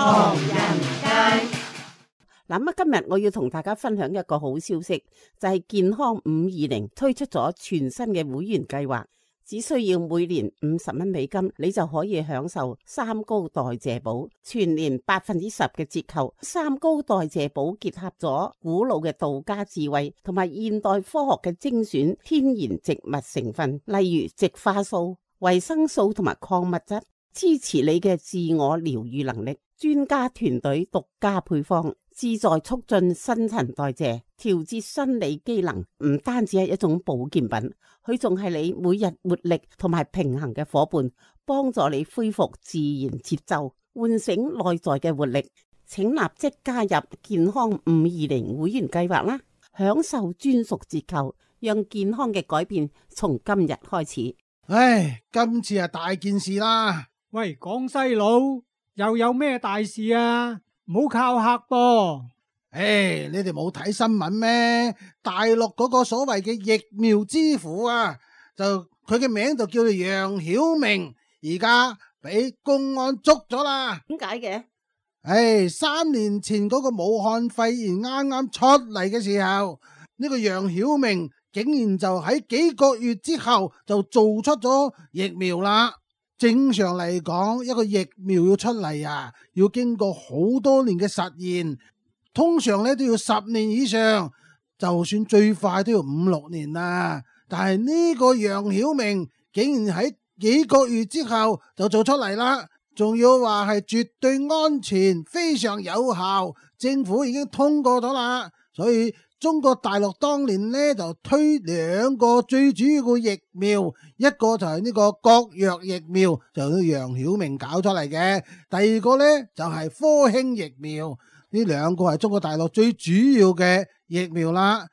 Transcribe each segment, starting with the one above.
唐人街。嗱，今日我要同大家分享一個好消息，就係健康520推出咗全新嘅會員計劃，只需要每年50蚊美金，你就可以享受三高代謝寶，全年10%嘅折扣。三高代謝寶結合咗古老嘅道家智慧同埋現代科學嘅精選天然植物成分，例如植化素、維生素同埋礦物質，支持你嘅自我療癒能力。專家團隊獨家配方，旨在促進新陳代謝、調節生理機能，唔單止係一種保健品，佢仲係你每日活力同埋平衡嘅伙伴，幫助你恢復自然節奏，喚醒內在嘅活力。請立即加入健康520會員計劃啦，享受專屬折扣，讓健康嘅改變從今日開始。唉，今次係大件事啦！喂，廣西佬又有咩大事啊？唔好靠客噃！唉，你哋冇睇新聞咩？大陸嗰個所謂嘅疫苗之父啊，就佢嘅名就叫做楊曉明，而家俾公安捉咗啦。點解嘅？唉，3年前嗰個武漢肺炎啱啱出嚟嘅時候，呢個楊曉明竟然就喺幾個月之後就做出咗疫苗啦。正常嚟講，一個疫苗要出嚟啊，要經過好多年嘅實驗，通常咧都要10年以上，就算最快都要5-6年啦。但係呢個楊曉明竟然喺幾個月之後就做出嚟啦，仲要話係絕對安全、非常有效，政府已經通過咗啦。所以中國大陸當年呢就推2個最主要嘅疫苗，一個就係呢個國藥疫苗，就係楊曉明搞出嚟嘅；第二個呢就係科興疫苗，呢2個係中國大陸最主要嘅疫苗啦。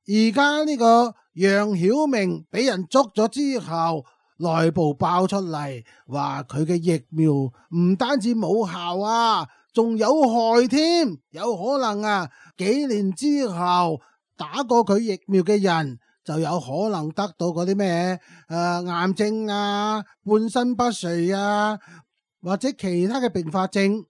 而家呢個楊曉明俾人捉咗之後，內部爆出嚟話佢嘅疫苗唔單止冇效啊，仲有害添，有可能啊幾年之後打過佢疫苗嘅人就有可能得到嗰啲咩癌症啊、半身不遂啊，或者其他嘅併發症。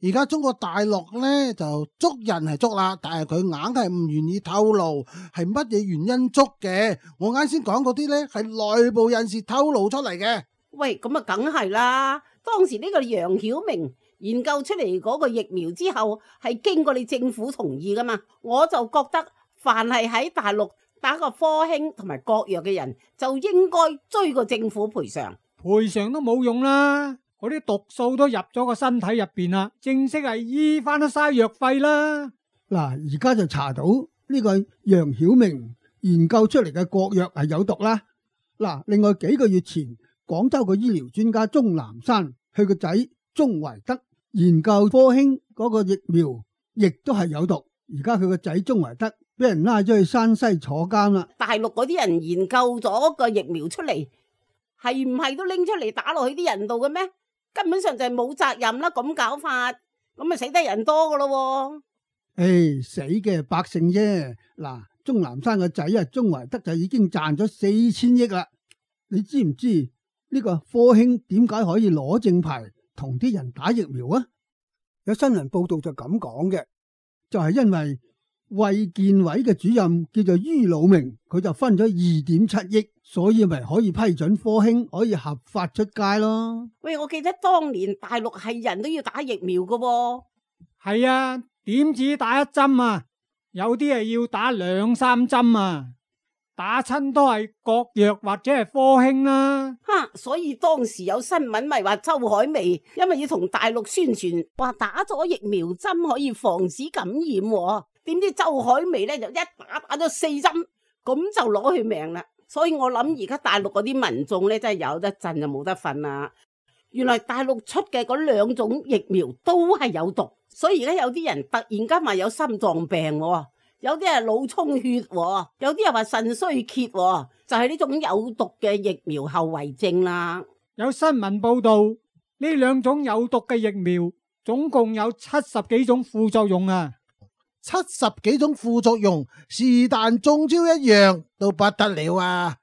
而家中國大陸呢就捉人係捉啦，但係佢硬係唔願意透露係乜嘢原因捉嘅。我啱先講嗰啲呢係內部人士透露出嚟嘅。喂，咁啊梗係啦，當時呢個楊曉明研究出嚟嗰個疫苗之後，係經過你政府同意噶嘛？我就覺得凡係喺大陸打過科興同埋國藥嘅人，就應該追個政府賠償。賠償都冇用啦，嗰啲毒素都入咗個身體入邊啦，正式係醫翻都嘥藥費啦。嗱，而家就查到呢個楊曉明研究出嚟嘅國藥係有毒啦。嗱，另外幾個月前，廣州個醫療專家鍾南山，佢個仔鍾維德研究科興嗰個疫苗，亦都係有毒。而家佢個仔鍾維德俾人拉咗去山西坐監啦。大陸嗰啲人研究咗個疫苗出嚟，係唔係都拎出嚟打落去啲人度嘅咩？根本上就係冇責任啦，咁搞法，咁咪死得人多噶咯。死嘅百姓啫。嗱，鍾南山個仔啊，鍾維德就已經賺咗4000億啦。你知唔知呢個科興點解可以攞正牌同啲人打疫苗啊？有新聞報道就咁講嘅，就係因為衛健委嘅主任叫做于魯明，佢就分咗2.7億，所以咪可以批准科興可以合法出街咯。喂，我記得當年大陸係人都要打疫苗噶喎。係啊，點止打1針啊？有啲係要打2-3針啊！打親都係國藥或者係科興啦。所以當時有新聞咪話周海媚因為要同大陸宣傳話打咗疫苗針可以防止感染，點知周海媚呢就一打咗4針，咁就攞佢命啦。所以我諗而家大陸嗰啲民眾呢真係有得震就冇得瞓啦。原來大陸出嘅嗰2種疫苗都係有毒，所以而家有啲人突然間話有心臟病，有啲係腦充血，有啲又話腎衰竭，就係呢種有毒嘅疫苗後遺症啦。有新聞報道，呢2種有毒嘅疫苗總共有70幾種副作用啊！70幾種副作用，是但中招一樣都不得了啊！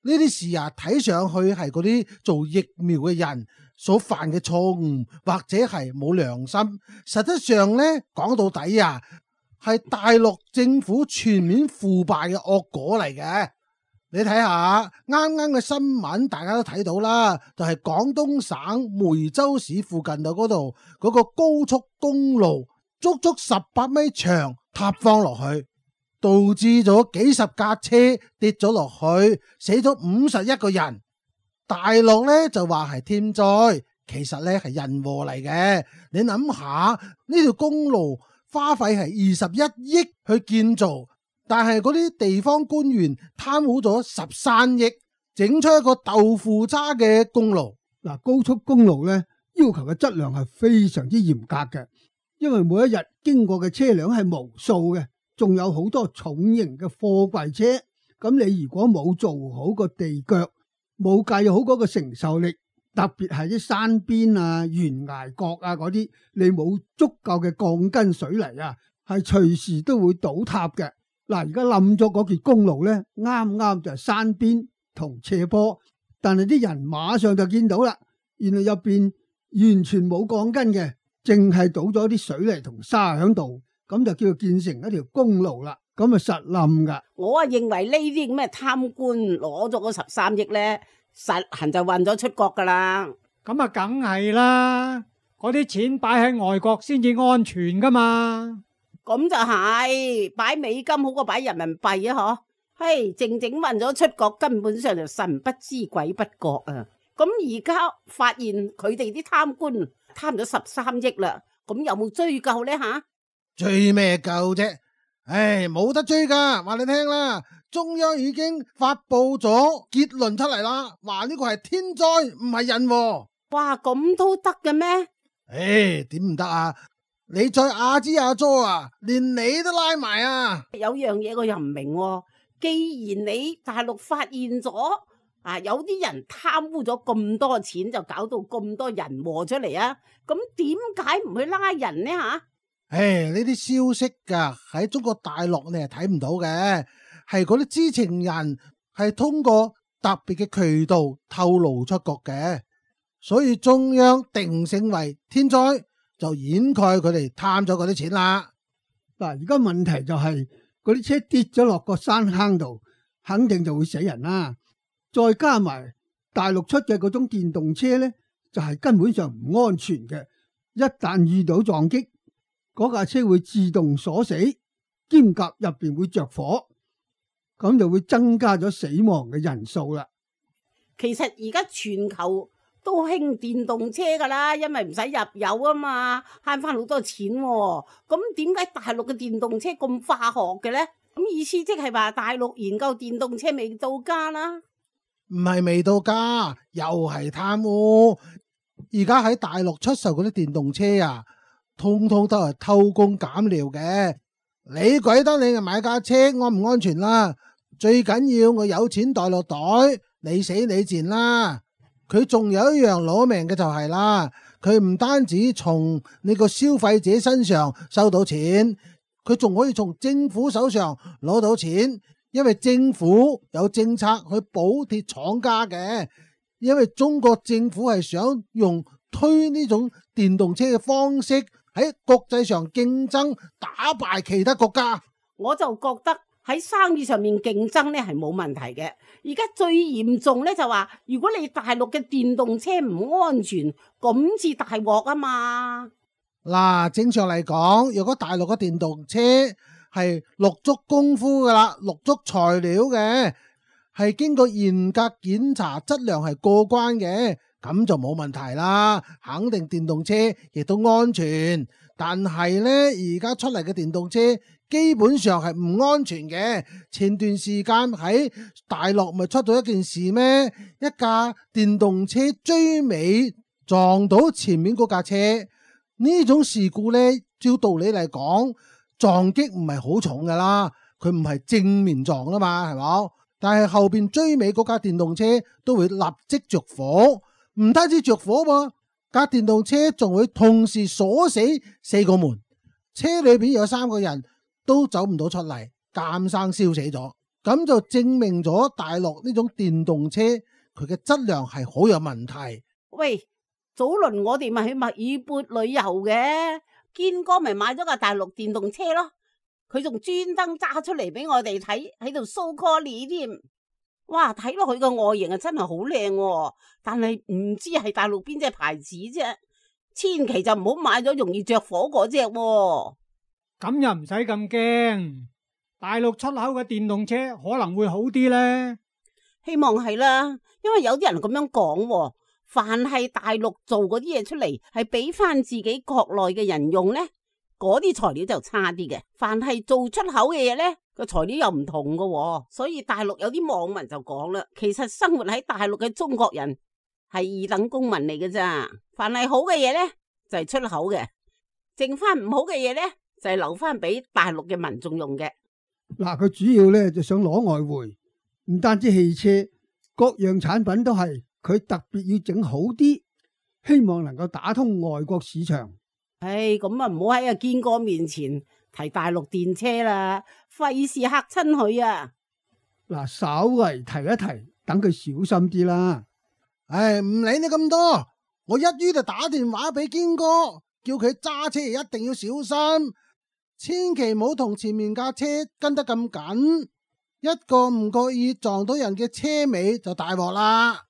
呢啲事啊，睇上去係嗰啲做疫苗嘅人所犯嘅錯誤，或者係冇良心。實質上呢，講到底啊，係大陸政府全面腐敗嘅惡果嚟嘅。你睇下啱啱嘅新聞，大家都睇到啦，就係廣東省梅州市附近度嗰度嗰個高速公路，足足18米長塌方落去，導致咗幾十架車跌咗落去，死咗51個人。大陸呢就話係天災，其實呢係人禍嚟嘅。你諗下呢條公路花費係21億去建造，但係嗰啲地方官員貪污咗13億，整出一個豆腐渣嘅公路。嗱，高速公路咧要求嘅質量係非常之嚴格嘅，因為每一日經過嘅車輛係無數嘅，仲有好多重型嘅貨櫃車。咁你如果冇做好個地腳，冇計好嗰個承受力，特別係啲山邊啊、懸崖角啊嗰啲，你冇足夠嘅鋼筋水泥啊，係隨時都會倒塌嘅。嗱，而家冧咗嗰條公路咧，啱啱就係山邊同斜坡，但係啲人馬上就見到啦，原來入邊完全冇鋼筋嘅，淨係倒咗啲水泥同沙喺度，咁就叫做建成一條公路啦。咁啊實冧噶。我啊認為呢啲咁嘅貪官攞咗嗰13億咧，實行就運咗出國噶啦。咁啊，梗係啦，嗰啲錢擺喺外國先至安全噶嘛。咁就係擺美金好過擺人民幣啊！嗬，嘿，靜靜運咗出國，根本上就神不知鬼不覺啊！咁而家發現佢哋啲貪官貪咗13億啦，咁有冇追究呢？吓？追咩究啫？唉，冇得追噶，話你聽啦，中央已經發佈咗結論出嚟啦，話呢個係天災唔係人禍。哇，咁都得嘅咩？唉，點唔得啊？你再阿支阿佐啊，連你都拉埋啊！有樣嘢我又唔明喎，既然你大陸發現咗啊，有啲人貪污咗咁多錢，就搞到咁多人禍出嚟啊，咁點解唔去拉人呢？吓？唉，呢啲消息噶喺中國大陸你係睇唔到嘅，係嗰啲知情人係通過特別嘅渠道透露出國嘅，所以中央定性為天災，就掩蓋佢哋貪咗嗰啲錢啦。嗱，而家問題就係嗰啲車跌咗落個山坑度，肯定就會死人啦。再加埋大陸出嘅嗰種電動車呢，就係根本上唔安全嘅。一旦遇到撞擊，嗰架車會自動鎖死，兼夾入邊會着火，咁就會增加咗死亡嘅人數啦。其實而家全球都興電動車噶啦，因為唔使入油啊嘛，慳翻好多錢喎。咁點解大陸嘅電動車咁化學嘅呢？咁意思即係話大陸研究電動車未到家啦？唔係未到家，又係貪污。而家喺大陸出售嗰啲電動車啊，通通都係偷工減料嘅。你鬼得你買架車安唔安全啦？最緊要我有錢袋落袋，你死你賤啦！佢仲有一樣攞命嘅就係啦，佢唔單止從你個消費者身上收到錢，佢仲可以從政府手上攞到錢，因為政府有政策去補貼廠家嘅，因為中國政府係想用推呢種電動車嘅方式喺國際上競爭，打敗其他國家。我就覺得喺生意上面競爭咧係冇問題嘅。而家最嚴重咧就話，如果你大陸嘅電動車唔安全，咁至大鑊啊嘛。嗱，正常嚟講，如果大陸嘅電動車係落足功夫噶啦，落足材料嘅，係經過嚴格檢查，質量係過關嘅，咁就冇問題啦。肯定電動車亦都安全。但係呢，而家出嚟嘅電動車基本上係唔安全嘅。前段時間喺大陸咪出到一件事咩？一架電動車追尾撞到前面嗰架車，呢種事故呢，照道理嚟講，撞擊唔係好重噶啦，佢唔係正面撞啊嘛，係咪？但係後邊追尾嗰架電動車都會立即着火，唔單止着火喎，架電動車仲會同時鎖死4個門，車裏邊有3個人都走唔到出嚟，監生燒死咗。咁就證明咗大陸呢種電動車佢嘅質量係好有問題。喂，早輪我哋咪去墨爾本旅遊嘅，堅哥咪買咗架大陸電動車咯，佢仲專登揸出嚟俾我哋睇，喺度 show quality 添。哇，睇落去個外形啊真係好靚，但係唔知係大陸邊隻牌子啫，千祈就唔好買咗容易着火嗰隻。咁又唔使咁驚，大陸出口嘅電動車可能會好啲呢。希望係啦，因為有啲人咁樣講，凡係大陸做嗰啲嘢出嚟，係俾翻自己國內嘅人用呢，嗰啲材料就差啲嘅。凡係做出口嘅嘢呢，個材料又唔同㗎，所以大陸有啲網民就講啦，其實生活喺大陸嘅中國人係二等公民嚟嘅咋。凡係好嘅嘢呢，就係出口嘅，剩翻唔好嘅嘢呢，就係留翻俾大陸嘅民眾用嘅。嗱，佢主要咧就想攞外匯，唔單止汽車，各樣產品都係佢特別要整好啲，希望能夠打通外國市場。唉，咁啊唔好喺阿堅哥面前提大陸電車啦，費事嚇親佢啊！嗱，稍微提一提，等佢小心啲啦。唉，唔理你咁多，我一於就打電話俾堅哥，叫佢揸車一定要小心，千祈唔好同前面架車跟得咁緊，一個唔覺意撞到人嘅車尾就大鑊啦。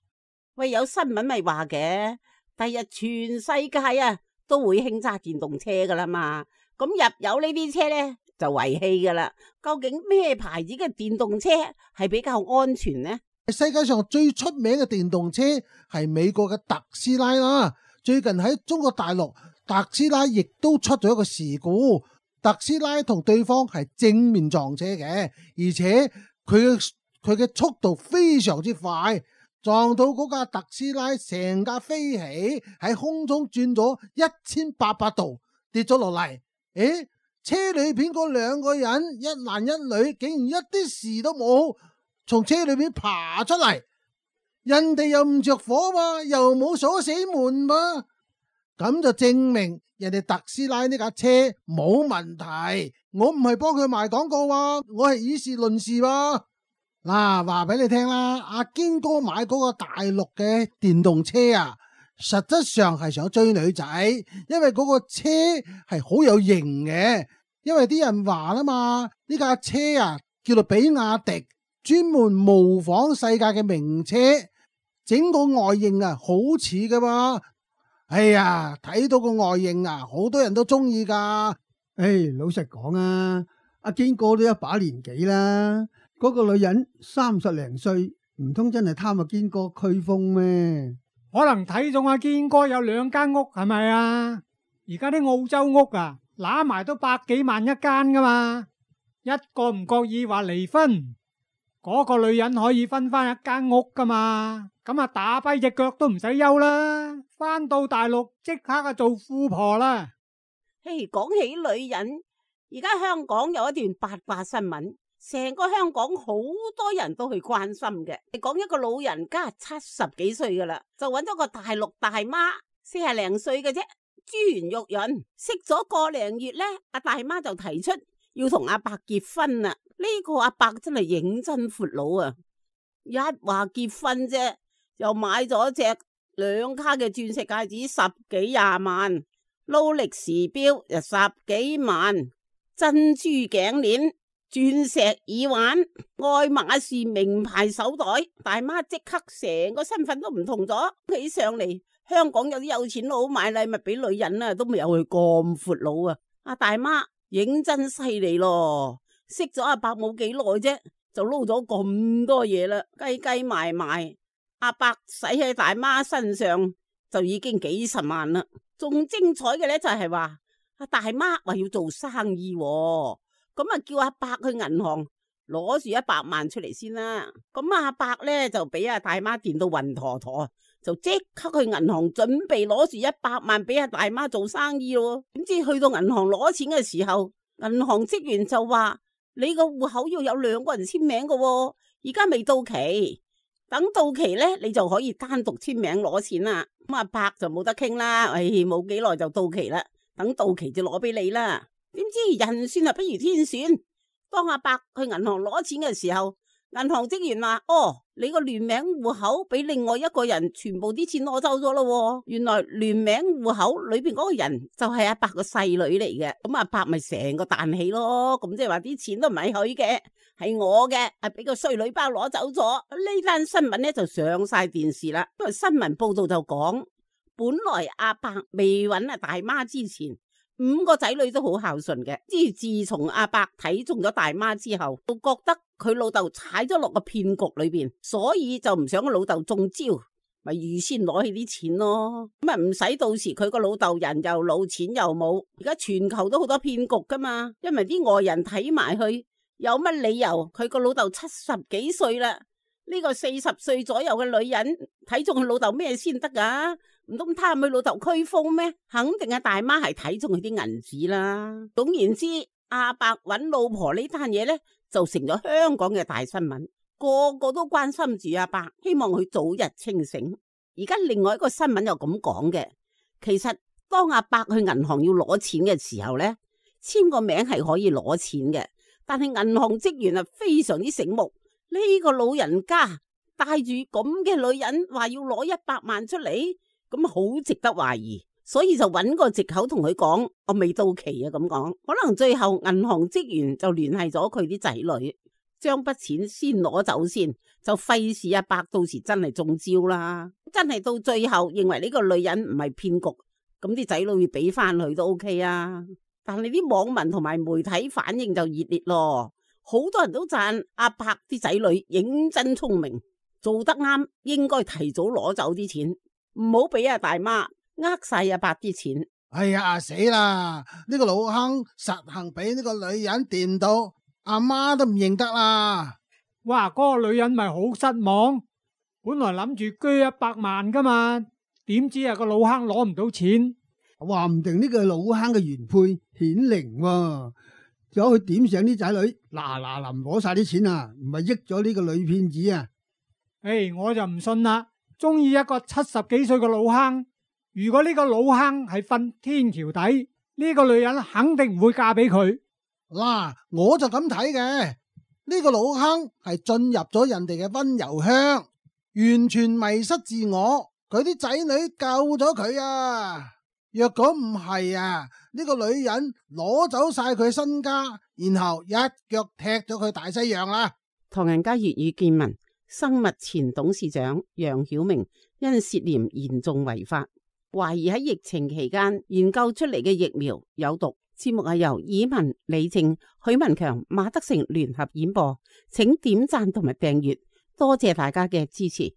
喂，有新聞咪話嘅，第日全世界啊都會興揸電動車噶啦嘛，咁入油呢啲車呢，就遺棄噶啦。究竟咩牌子嘅電動車係比較安全呢？世界上最出名嘅電動車係美國嘅特斯拉啦。最近喺中國大陸，特斯拉亦都出咗一個事故。特斯拉同對方係正面撞車嘅，而且佢嘅速度非常之快，撞到嗰架特斯拉成架飛起，喺空中轉咗1800度，跌咗落嚟。誒，車裏邊嗰兩個人，一男一女，竟然一啲事都冇，從車裏邊爬出嚟。人哋又唔着火嘛，又冇鎖死門嘛，咁就證明人哋特斯拉呢架車冇問題。我唔係幫佢賣廣告啊，我係以事論事喎。嗱，話俾你聽啦，阿堅哥買嗰個大陸嘅電動車啊，實質上係想追女仔，因為嗰個車係好有型嘅。因為啲人話啦嘛，呢架車啊叫做比亞迪，專門模仿世界嘅名車，整個外形啊好似噶嘛。哎呀，睇到個外形啊，好多人都中意噶。老實講啊，阿堅哥都一把年紀啦，嗰個女人30零歲，唔通真係貪阿堅哥驅風咩？可能睇中阿堅哥有2間屋係咪啊？而家啲澳洲屋啊，揦埋都100幾萬一間噶嘛，一個唔覺意話離婚，嗰個女人可以分翻1間屋噶嘛，咁啊打跛隻腳都唔使休啦，翻到大陸即刻啊做富婆啦。嘿，講起女人，而家香港有一段八卦新聞，成個香港好多人都去關心嘅。講一個老人家70幾歲噶啦，就揾咗個大陸大媽40零歲嘅啫，珠圓玉潤，識咗個零月呢，阿大媽就提出要同阿伯結婚啦。呢個阿伯真係認真闊佬啊！一話結婚啫，又買咗隻2卡嘅鑽石戒指10幾20萬，勞力士錶又10幾萬，珍珠頸鏈、鑽石耳環、愛馬仕名牌手袋，大媽即刻成個身份都唔同咗起上嚟。香港有啲有錢佬買禮物俾女人啊，都未有佢咁闊佬啊！阿大媽認真犀利咯，識咗阿伯冇幾耐啫，就撈咗咁多嘢啦，計計埋埋，阿伯使喺大媽身上就已經幾十萬啦。仲精彩嘅咧就係話阿大媽話要做生意，咁啊叫阿伯去銀行攞住100萬出嚟先啦。咁阿伯咧就俾阿大媽電到暈陀陀，就即刻去銀行準備攞住100萬俾阿大媽做生意咯。點知去到銀行攞錢嘅時候，銀行職員就話你個戶口要有2個人簽名噶，而家未到期，等到期咧你就可以單獨簽名攞錢啦。咁阿伯就冇得傾啦，冇幾耐就到期啦，等到期就攞俾你啦。點知人算啊不如天算，當阿伯去銀行攞錢嘅時候，銀行職員話：哦，你個聯名戶口俾另外一個人全部啲錢攞走咗咯。原來聯名戶口裏邊嗰個人就係阿伯個細女嚟嘅。咁阿伯咪成個彈起咯。咁即係話啲錢都唔係佢嘅，係我嘅，係俾個衰女包攞走咗。呢單新聞咧就上晒電視啦。因為新聞報道就講，本來阿伯未揾阿大媽之前，5個仔女都好孝順嘅。自從阿伯睇中咗大媽之後，就覺得佢老豆踩咗落個騙局裏邊，所以就唔想個老豆中招，咪預先攞起啲錢咯。咁啊唔使到時佢個老豆人又老錢又冇。而家全球都好多騙局噶嘛，因為啲外人睇埋去，有乜理由佢個老豆70幾歲啦？呢個40歲左右嘅女人睇中佢老豆咩先得噶？唔通貪佢老豆驅風咩？肯定係大媽係睇中佢啲銀紙啦。總言之，阿伯揾老婆呢單嘢呢，就成咗香港嘅大新聞，個個都關心住阿伯，希望佢早日清醒。而家另外一個新聞又咁講嘅，其實當阿伯去銀行要攞錢嘅時候呢，簽個名係可以攞錢嘅，但係銀行職員啊非常之醒目，呢個老人家帶住咁嘅女人話要攞100萬出嚟，咁好值得懷疑，所以就揾個藉口同佢講，我未到期啊咁講。可能最後銀行職員就聯繫咗佢啲仔女，將筆錢先攞走先，就費事阿伯到時真係中招啦。真係到最後認為呢個女人唔係騙局，咁啲仔女要俾翻佢都 OK 啊。但係啲網民同埋媒體反應就熱烈咯，好多人都讚阿伯啲仔女認真聰明，做得啱，應該提早攞走啲錢，唔好俾阿大媽呃晒阿伯啲錢。哎呀死啦！呢個老坑實行俾呢個女人掂到，阿媽都唔認得啦。哇！嗰個女人咪好失望，本來諗住捐100萬噶嘛，點知啊個老坑攞唔到錢。話唔定呢個老坑嘅原配顯靈喎，走去點醒啲仔女，嗱臨攞晒啲錢啊，唔係益咗呢個女騙子啊！我就唔信啦，中意一個70幾歲嘅老坑，如果呢個老坑係瞓天橋底，呢個女人肯定唔會嫁俾佢。嗱，我就咁睇嘅，呢個老坑係進入咗人哋嘅溫柔鄉，完全迷失自我，佢啲仔女救咗佢啊！若果唔係啊，呢個女人攞走晒佢身家，然後一腳踢咗佢大西洋啦。唐人街粵語見聞，生物前董事長楊曉明因涉嫌嚴重違法，懷疑喺疫情期間研究出嚟嘅疫苗有毒。節目係由以文、李靜、許文強、馬德成聯合演播，請點讚同埋訂閱，多謝大家嘅支持。